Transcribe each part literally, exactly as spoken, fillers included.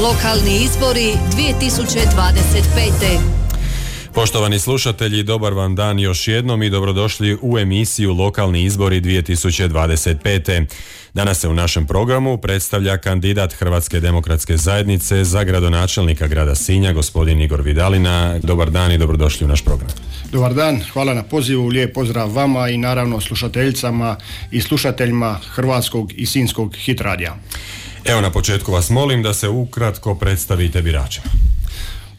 Lokalni izbori dvije tisuće dvadeset pete. Poštovani slušatelji, dobar vam dan još jednom i dobrodošli u emisiju Lokalni izbori dvije tisuće dvadeset pete. Danas se u našem programu predstavlja kandidat Hrvatske demokratske zajednice za gradonačelnika grada Sinja, gospodin Igor Vidalina. Dobar dan i dobrodošli u naš program. Dobar dan, hvala na pozivu, lijep pozdrav vama i naravno slušateljicama i slušateljima Hrvatskog i Sinjskog hit radija. Evo, na početku vas molim da se ukratko predstavite biračima.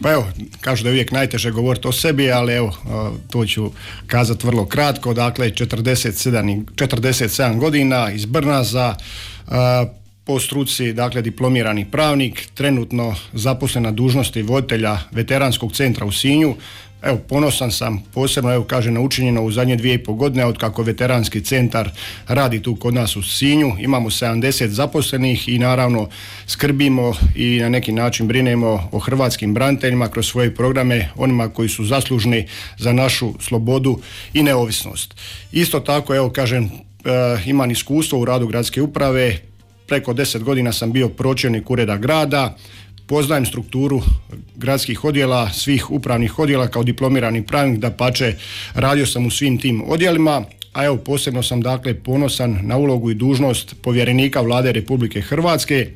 Pa evo, kažu da je uvijek najteže govoriti o sebi, ali evo, to ću kazati vrlo kratko. Dakle, četrdeset sedam, četrdeset sedam godina, iz Brnaza, po struci, dakle, diplomirani pravnik, trenutno zaposlen na dužnosti voditelja veteranskog centra u Sinju. Evo, ponosan sam posebno, evo, kaže, na učinjeno u zadnje dvije i pol godine od kako veteranski centar radi tu kod nas u Sinju. Imamo sedamdeset zaposlenih i naravno skrbimo i na neki način brinemo o hrvatskim braniteljima kroz svoje programe, onima koji su zaslužni za našu slobodu i neovisnost. Isto tako, evo, kažem, imam iskustvo u radu gradske uprave, preko deset godina sam bio pročelnik ureda grada. Poznajem strukturu gradskih odjela, svih upravnih odjela kao diplomirani pravnik, dapače radio sam u svim tim odjelima, a evo posebno sam dakle ponosan na ulogu i dužnost povjerenika Vlade Republike Hrvatske,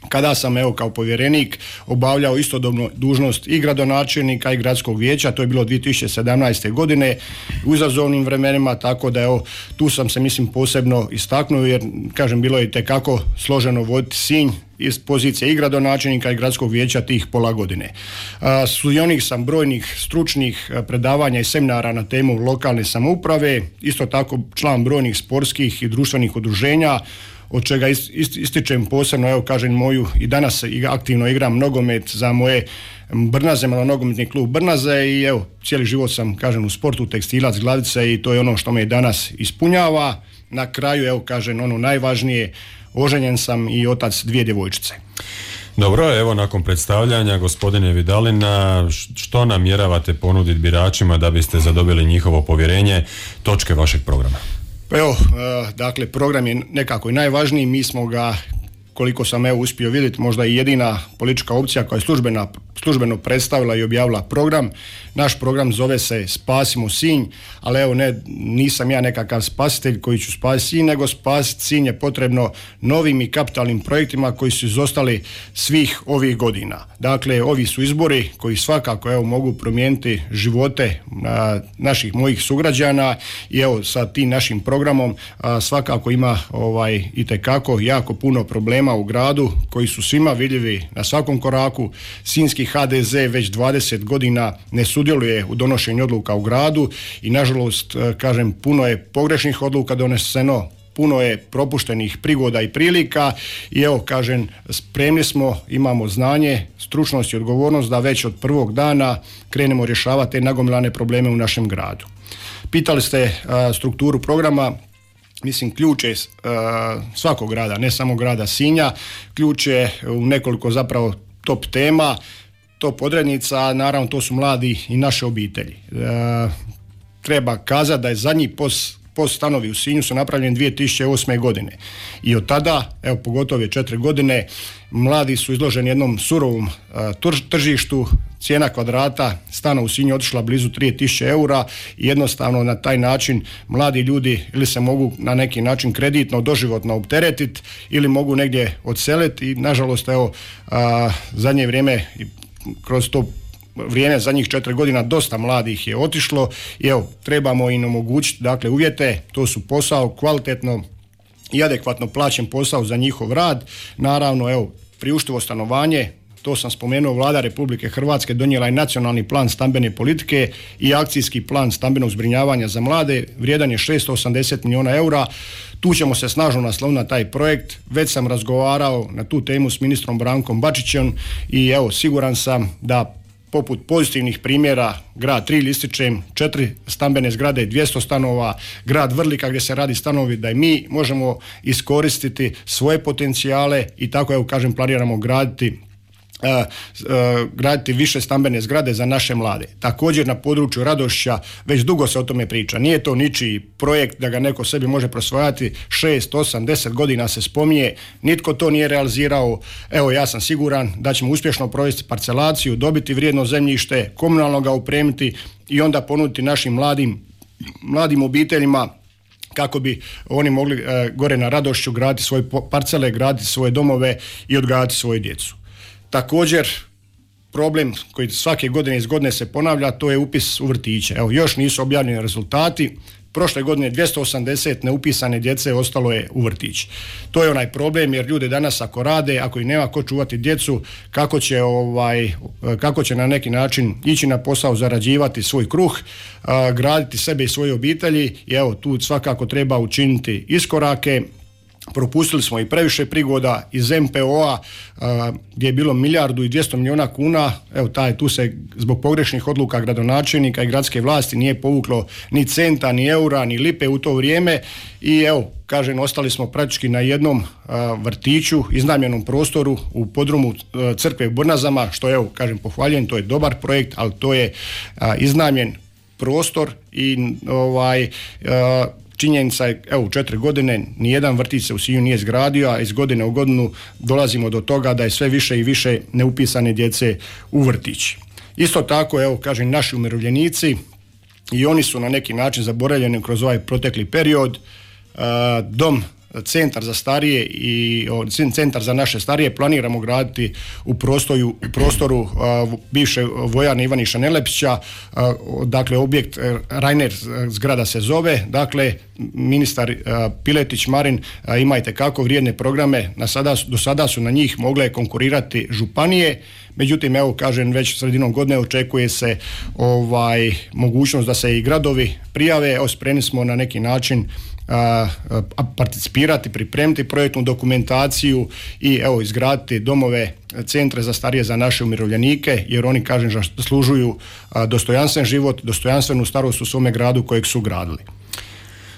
kada sam evo kao povjerenik obavljao istodobno dužnost i gradonačelnika i gradskog vijeća. To je bilo dvije tisuće sedamnaeste. godine u izazovnim vremenima, tako da evo tu sam se mislim posebno istaknuo, jer kažem bilo je itekako složeno voditi Sinj iz pozicije i gradonačelnika i gradskog vijeća tih pola godine. Sudionik sam brojnih stručnih predavanja i seminara na temu lokalne samouprave, isto tako član brojnih sportskih i društvenih udruženja, od čega ističem posebno, evo kažem, moju i danas aktivno igram nogomet za moje Brnaze, nogometni klub Brnaze, i evo cijeli život sam, kažem, u sportu, tekstilac, glavice, i to je ono što me i danas ispunjava. Na kraju, evo kažem, ono najvažnije, oženjen sam i otac dvije djevojčice. Dobro, evo nakon predstavljanja gospodine Vidalina, što namjeravate ponuditi biračima da biste zadobili njihovo povjerenje, točke vašeg programa? Pa evo, dakle, program je nekako i najvažniji. Mi smo ga, koliko sam evo uspio vidjeti, možda i jedina politička opcija koja je službena, službeno predstavila i objavila program. Naš program zove se Spasimo Sinj, ali evo ne, nisam ja nekakav spasitelj koji ću spasiti Sinj, nego spasiti Sinj je potrebno novim i kapitalnim projektima koji su izostali svih ovih godina. Dakle, ovi su izbori koji svakako evo mogu promijeniti živote a, naših mojih sugrađana, i evo sa tim našim programom a, svakako ima ovaj itekako jako puno problema u gradu koji su svima vidljivi na svakom koraku. Sinjski ha de ze već dvadeset godina ne sudjeluje u donošenju odluka u gradu i nažalost, kažem, puno je pogrešnih odluka doneseno, puno je propuštenih prigoda i prilika, i evo kažem, spremni smo, imamo znanje, stručnost i odgovornost da već od prvog dana krenemo rješavati te nagomilane probleme u našem gradu. Pitali ste a, strukturu programa. Mislim, ključ je uh, svakog grada, ne samo grada Sinja, ključ je u nekoliko zapravo top tema, top odrednica, naravno to su mladi i naše obitelji. Uh, treba kazati da je zadnji pos, pos stanovi u Sinju su napravljeni dvije tisuće osme. godine i od tada, evo pogotovo je četiri godine, mladi su izloženi jednom surovom uh, tržištu. Cijena kvadrata stana u Sinju otišla blizu tri tisuće eura i jednostavno na taj način mladi ljudi ili se mogu na neki način kreditno, doživotno opteretiti ili mogu negdje odseliti, i nažalost evo a, zadnje vrijeme kroz to vrijeme zadnjih četiri godina dosta mladih je otišlo i evo trebamo im omogućiti dakle uvjete, to su posao, kvalitetno i adekvatno plaćen posao za njihov rad, naravno evo priuštivo stanovanje. To sam spomenuo, Vlada Republike Hrvatske donijela je nacionalni plan stambene politike i akcijski plan stambenog zbrinjavanja za mlade, vrijedan je šesto osamdeset milijuna eura. Tu ćemo se snažno nasloniti na taj projekt. Već sam razgovarao na tu temu s ministrom Brankom Bačićem i evo siguran sam da poput pozitivnih primjera grad Trilj ističem, četiri stambene zgrade, dvjesto stanova, grad Vrlika gdje se radi stanovi, da i mi možemo iskoristiti svoje potencijale i tako evo kažem planiramo graditi graditi više stambene zgrade za naše mlade. Također na području Radošća već dugo se o tome priča. Nije to ničiji projekt da ga neko sebi može prosvajati, šest, osam, deset godina se spominje, nitko to nije realizirao. Evo, ja sam siguran da ćemo uspješno provesti parcelaciju, dobiti vrijedno zemljište, komunalno ga upremiti i onda ponuditi našim mladim, mladim obiteljima kako bi oni mogli e, gore na Radošću graditi svoje parcele, graditi svoje domove i odgajati svoju djecu. Također, problem koji svake godine iz godine se ponavlja, to je upis u vrtiće. Evo, još nisu objavljeni rezultati. Prošle godine dvjesto osamdeset neupisane djece ostalo je u vrtići. To je onaj problem, jer ljudi danas ako rade, ako i nema ko čuvati djecu, kako će, ovaj, kako će na neki način ići na posao, zarađivati svoj kruh, a, graditi sebe i svoje obitelji. I evo, tu svakako treba učiniti iskorake. Propustili smo i previše prigoda iz em pe o-a a, gdje je bilo milijardu i dvjesto milijuna kuna. Evo, taj, tu se zbog pogrešnih odluka gradonačelnika i gradske vlasti nije povuklo ni centa, ni eura, ni lipe u to vrijeme i evo, kažem, ostali smo praktički na jednom a, vrtiću, iznajmljenom prostoru u podrumu a, crkve u Brnazama, što evo, kažem, pohvaljujem, to je dobar projekt, ali to je a, iznajmljen prostor i ovaj a, činjenica je, evo, u četiri godine nijedan vrtić se u Sinju nije izgradio, a iz godine u godinu dolazimo do toga da je sve više i više neupisane djece u vrtići. Isto tako, evo, kažem, naši umirovljenici i oni su na neki način zaboravljeni kroz ovaj protekli period. Dom, centar za starije i centar za naše starije planiramo graditi u prostoru, u prostoru a, bivše vojarne Ivaniša Nelepića, a, dakle objekt Reiner zgrada se zove, dakle ministar a, Piletić Marin a, imajte kako vrijedne programe, na sada, do sada su na njih mogle konkurirati županije, međutim, evo, kažem, već sredinom godine očekuje se ovaj mogućnost da se i gradovi prijave. Evo, spremni smo na neki način A, a, participirati, pripremiti projektnu dokumentaciju i evo izgraditi domove, centre za starije za naše umirovljenike, jer oni, kažem, zaslužuju a, dostojanstven život, dostojanstvenu starost u svome gradu kojeg su gradili.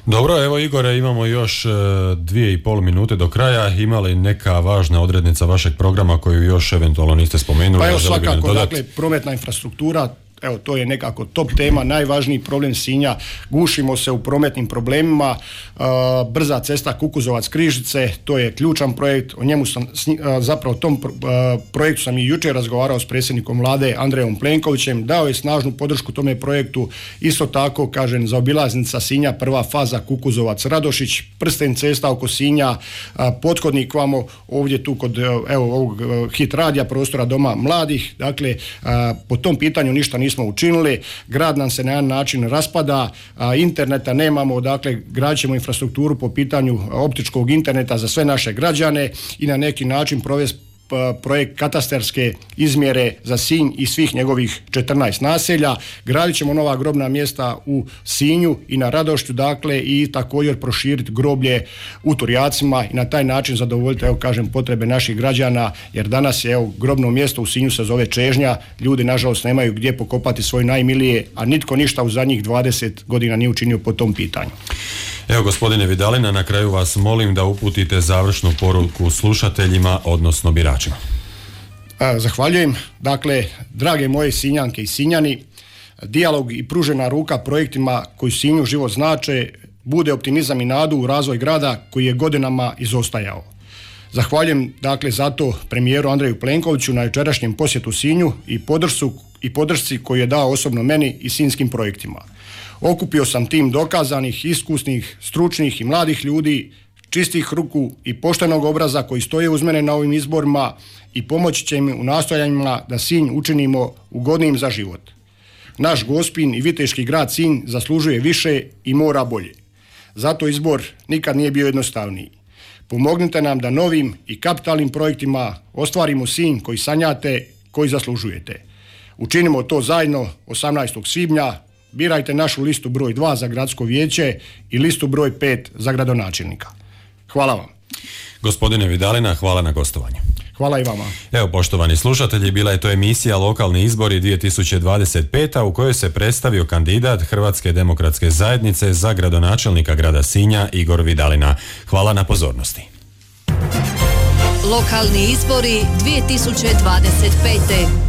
Dobro, evo Igore, imamo još e, dvije i pol minute do kraja. Ima li neka važna odrednica vašeg programa koju još eventualno niste spomenuli? Pa evo, svakako, dakle, prometna infrastruktura, evo, to je nekako top tema, najvažniji problem Sinja, gušimo se u prometnim problemima, uh, brza cesta Kukuzovac-Križice, to je ključan projekt, o njemu sam, uh, zapravo tom uh, projektu sam i jučer razgovarao s predsjednikom vlade Andrejom Plenkovićem, dao je snažnu podršku tome projektu, isto tako, kažem, zaobilaznica Sinja, prva faza Kukuzovac-Radošić, prsten cesta oko Sinja, uh, pothodnik vamo, ovdje tu kod, uh, evo, ovog uh, hit radija, prostora Doma mladih, dakle, uh, po tom pitanju ništa nismo smo učinili, grad nam se na jedan način raspada, a, interneta nemamo, dakle gradit ćemo infrastrukturu po pitanju optičkog interneta za sve naše građane i na neki način provesti projekt katastarske izmjere za Sinj i svih njegovih četrnaest naselja. Gradit ćemo nova grobna mjesta u Sinju i na Radošću, dakle, i također proširiti groblje u Turjacima i na taj način zadovoljiti, evo, kažem, potrebe naših građana, jer danas je, evo, grobno mjesto u Sinju se zove Čežnja, ljudi nažalost nemaju gdje pokopati svoje najmilije, a nitko ništa u zadnjih dvadeset godina nije učinio po tom pitanju. Evo, gospodine Vidalina, na kraju vas molim da uputite završnu poruku slušateljima, odnosno biračima. Zahvaljujem. Dakle, drage moje Sinjanke i Sinjani, dijalog i pružena ruka projektima koji Sinju život znače, bude optimizam i nadu u razvoj grada koji je godinama izostajao. Zahvaljujem, dakle, zato premijeru Andreju Plenkoviću na jučerašnjem posjetu Sinju i podršku i podršci koju je dao osobno meni i sinjskim projektima. Okupio sam tim dokazanih, iskusnih, stručnih i mladih ljudi, čistih ruku i poštenog obraza koji stoje uz mene na ovim izborima i pomoći će mi u nastojanjima da Sinj učinimo ugodnijim za život. Naš Gospin i viteški grad Sinj zaslužuje više i mora bolje. Zato izbor nikad nije bio jednostavniji. Pomognite nam da novim i kapitalnim projektima ostvarimo Sinj koji sanjate, koji zaslužujete. Učinimo to zajedno osamnaestog svibnja. Birajte našu listu broj dva za gradsko vijeće i listu broj pet za gradonačelnika. Hvala vam. Gospodine Vidalina, hvala na gostovanju. Hvala i vama. Evo, poštovani slušatelji, bila je to emisija Lokalni izbori dvije tisuće dvadeset pete. u kojoj se predstavio kandidat Hrvatske demokratske zajednice za gradonačelnika grada Sinja Igor Vidalina. Hvala na pozornosti. Lokalni izbori dvije tisuće dvadeset pete.